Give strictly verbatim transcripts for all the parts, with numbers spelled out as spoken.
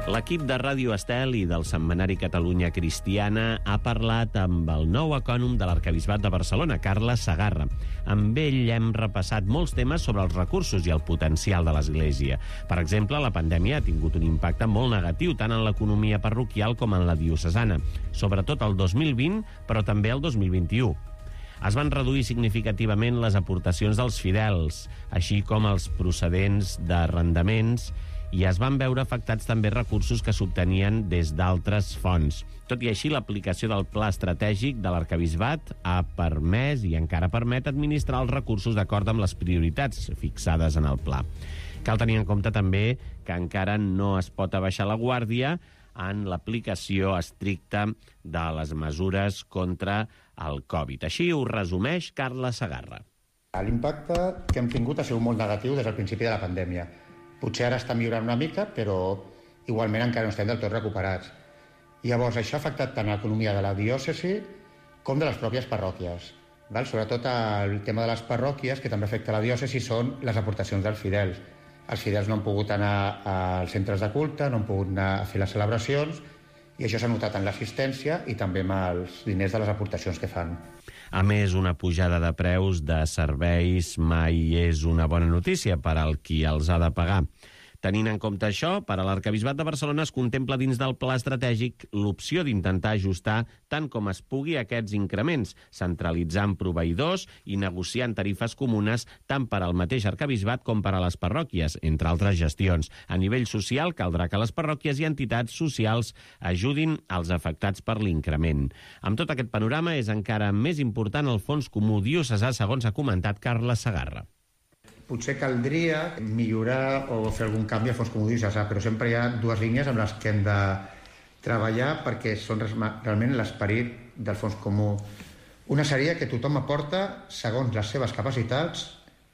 L'equip de Ràdio Estel i del setmanari Catalunya Cristiana ha parlat amb el nou ecònom de l'Arquebisbat de Barcelona, Carles Segarra. Amb ell hem repassat molts temes sobre els recursos i el potencial de l'Església. Per exemple, la pandèmia ha tingut un impacte molt negatiu tant en l'economia parroquial com en la diocesana, sobretot el dos mil vint, però també el dos mil vint-i-u. Es van reduir significativament les aportacions dels fidels, així com els procedents d'arrendaments, i es van veure afectats també recursos que s'obtenien des d'altres fonts. Tot i així, l'aplicació del pla estratègic de l'Arquebisbat ha permès i encara permet administrar els recursos d'acord amb les prioritats fixades en el pla. Cal tenir en compte també que encara no es pot abaixar la guàrdia en l'aplicació estricta de les mesures contra el Covid. Així ho resumeix Carles Segarra. L'impacte que hem tingut ha sigut molt negatiu des del principi de la pandèmia. Potser ara està millorant una mica, però igualment encara no estem del tot recuperats. Llavors, això ha afectat tant l'economia de la diòcesi com de les pròpies parròquies. Val? Sobretot el tema de les parròquies, que també afecta la diòcesi, són les aportacions dels fidels. Els fidels no han pogut anar als centres de culte, no han pogut anar a fer les celebracions, i això s'ha notat en l'assistència i també amb els diners de les aportacions que fan. A més, una pujada de preus de serveis mai és una bona notícia per al qui els ha de pagar. Tenint en compte això, per a l'Arquebisbat de Barcelona es contempla dins del pla estratègic l'opció d'intentar ajustar tant com es pugui aquests increments, centralitzant proveïdors i negociant tarifes comunes tant per al mateix arquebisbat com per a les parròquies, entre altres gestions. A nivell social, caldrà que les parròquies i entitats socials ajudin als afectats per l'increment. Amb tot aquest panorama és encara més important el fons comú diocesà, segons ha comentat Carles Segarra. Potser caldria millorar o fer algun canvi al fons comú diocesà, però sempre hi ha dues línies amb les que hem de treballar perquè són realment l'esperit del fons comú. Una seria que tothom aporta segons les seves capacitats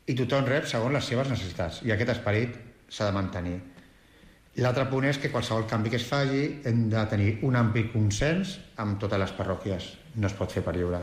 i tothom rep segons les seves necessitats, i aquest esperit s'ha de mantenir. L'altre punt és que qualsevol canvi que es faci hem de tenir un ampli consens amb totes les parròquies. No es pot fer per lliure.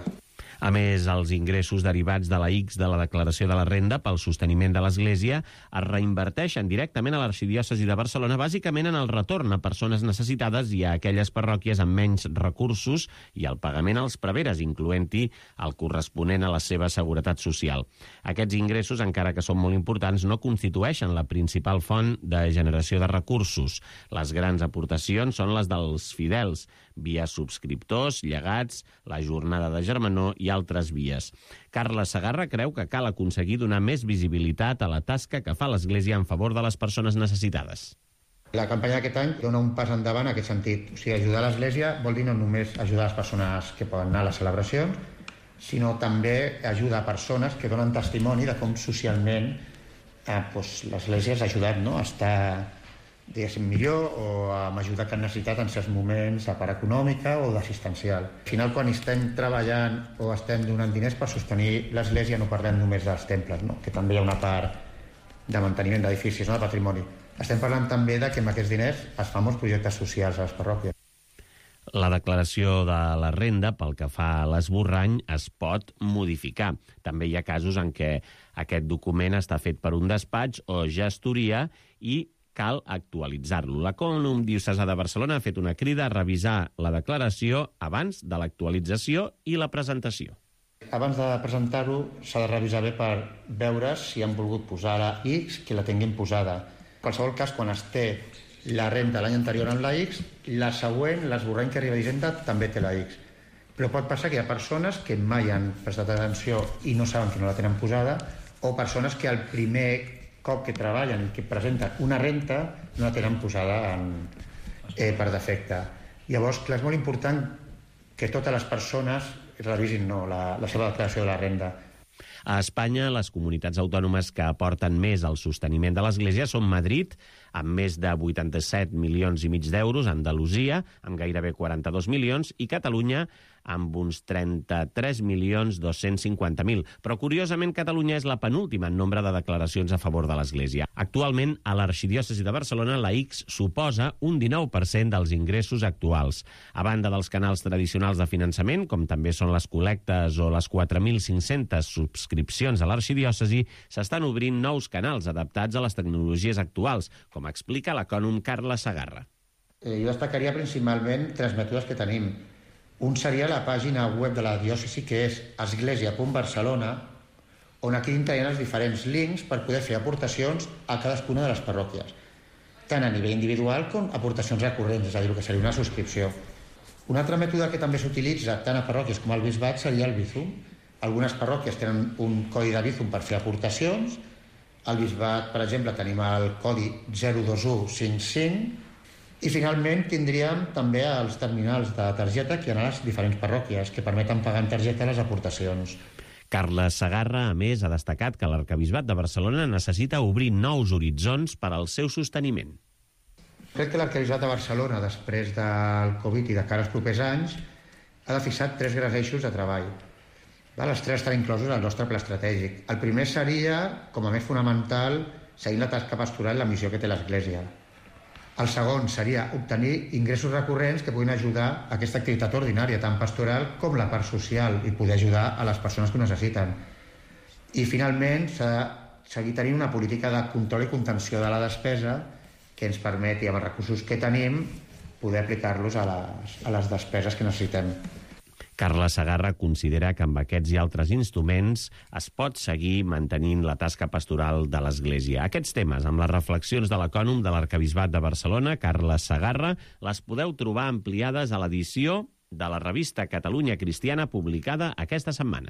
A més, els ingressos derivats de la X de la declaració de la renda pel sosteniment de l'Església es reinverteixen directament a l'Arxidiòcesi de Barcelona, bàsicament en el retorn a persones necessitades i a aquelles parròquies amb menys recursos i el pagament als preveres, incloent-hi el corresponent a la seva seguretat social. Aquests ingressos, encara que són molt importants, no constitueixen la principal font de generació de recursos. Les grans aportacions són les dels fidels, via subscriptors, llegats, la jornada de germanor i altres vies. Carles Segarra creu que cal aconseguir donar més visibilitat a la tasca que fa l'Església en favor de les persones necessitades. La campanya d'aquest any dona un pas endavant en aquest sentit. O sigui, ajudar l'Església vol dir no només ajudar les persones que poden anar a les celebracions, sinó també ajudar persones que donen testimoni de com socialment eh, doncs, l'Església has ajudat, no?, a estar diguéssim millor o amb ajuda que han necessitat en certs moments de part econòmica o d'assistencial. Al final, quan estem treballant o estem donant diners per sostenir l'Església, no parlem només dels temples, no?, que també hi ha una part de manteniment d'edificis, no?, de patrimoni. Estem parlant també de que amb aquests diners es fan molts projectes socials a les parròquies. La declaració de la renda, pel que fa a l'esborrany, es pot modificar. També hi ha casos en què aquest document està fet per un despatx o gestoria i cal actualitzar-lo. L'Ecònom Diocesà de Barcelona ha fet una crida a revisar la declaració abans de l'actualització i la presentació. Abans de presentar-ho s'ha de revisar bé per veure si han volgut posar la X, que la tinguin posada. En qualsevol cas, quan es té la renda l'any anterior en la X, la següent, l'esborrany que arriba a Hisenda, també té la X. Però pot passar que hi ha persones que mai han prestat atenció i no saben que no la tenen posada, o persones que al primer cop que treballen i que presenten una renta no la tenen posada en, eh, per defecte. Llavors, clar, és molt important que totes les persones revisin no, la, la seva declaració de la renda. A Espanya, les comunitats autònomes que aporten més al sosteniment de l'Església són Madrid, amb més de vuitanta-set milions i mig d'euros, Andalusia, amb gairebé quaranta-dos milions, i Catalunya, amb uns trenta-tres milions dos-cents cinquanta mil. Però, curiosament, Catalunya és la penúltima en nombre de declaracions a favor de l'Església. Actualment, a l'Arxidiòcesi de Barcelona, la X suposa un dinou per cent dels ingressos actuals. A banda dels canals tradicionals de finançament, com també són les col·lectes o les quatre mil cinc-centes subscripcions a l'Arxidiòcesi, s'estan obrint nous canals adaptats a les tecnologies actuals, com explica l'ecònom Carles Segarra. Eh, jo destacaria principalment tres mètodes que tenim. Un seria la pàgina web de la diòcesi, que és església punt barcelona, on aquí integrem els diferents links per poder fer aportacions a cadascuna de les parròquies, tant a nivell individual com aportacions recurrents, és a dir, el que seria una subscripció. Un altre mètode que també s'utilitza tant a parròquies com al bisbat seria el Bizum. Algunes parròquies tenen un codi de Bizum per fer aportacions. Al bisbat, per exemple, tenim el codi zero dos u cinc cinc. I finalment tindríem també els terminals de targeta que hi ha a les diferents parròquies, que permeten pagar en targeta les aportacions. Carles Segarra, a més, ha destacat que l'Arquebisbat de Barcelona necessita obrir nous horitzons per al seu sosteniment. Crec que l'Arquebisbat de Barcelona, després del Covid i de cara als propers anys, ha de fixar tres grans eixos de treball. Els tres estan inclosos al nostre pla estratègic. El primer seria, com a més fonamental, seguir la tasca pastoral i la missió que té l'Església. El segon seria obtenir ingressos recurrents que puguin ajudar a aquesta activitat ordinària, tant pastoral com la part social, i poder ajudar a les persones que ho necessiten. I finalment s'ha de seguir tenint una política de control i contenció de la despesa que ens permeti, amb els recursos que tenim, poder aplicar-los a les, a les despeses que necessitem. Carles Segarra considera que amb aquests i altres instruments es pot seguir mantenint la tasca pastoral de l'Església. Aquests temes, amb les reflexions de l'ecònom de l'Arquebisbat de Barcelona, Carles Segarra, les podeu trobar ampliades a l'edició de la revista Catalunya Cristiana publicada aquesta setmana.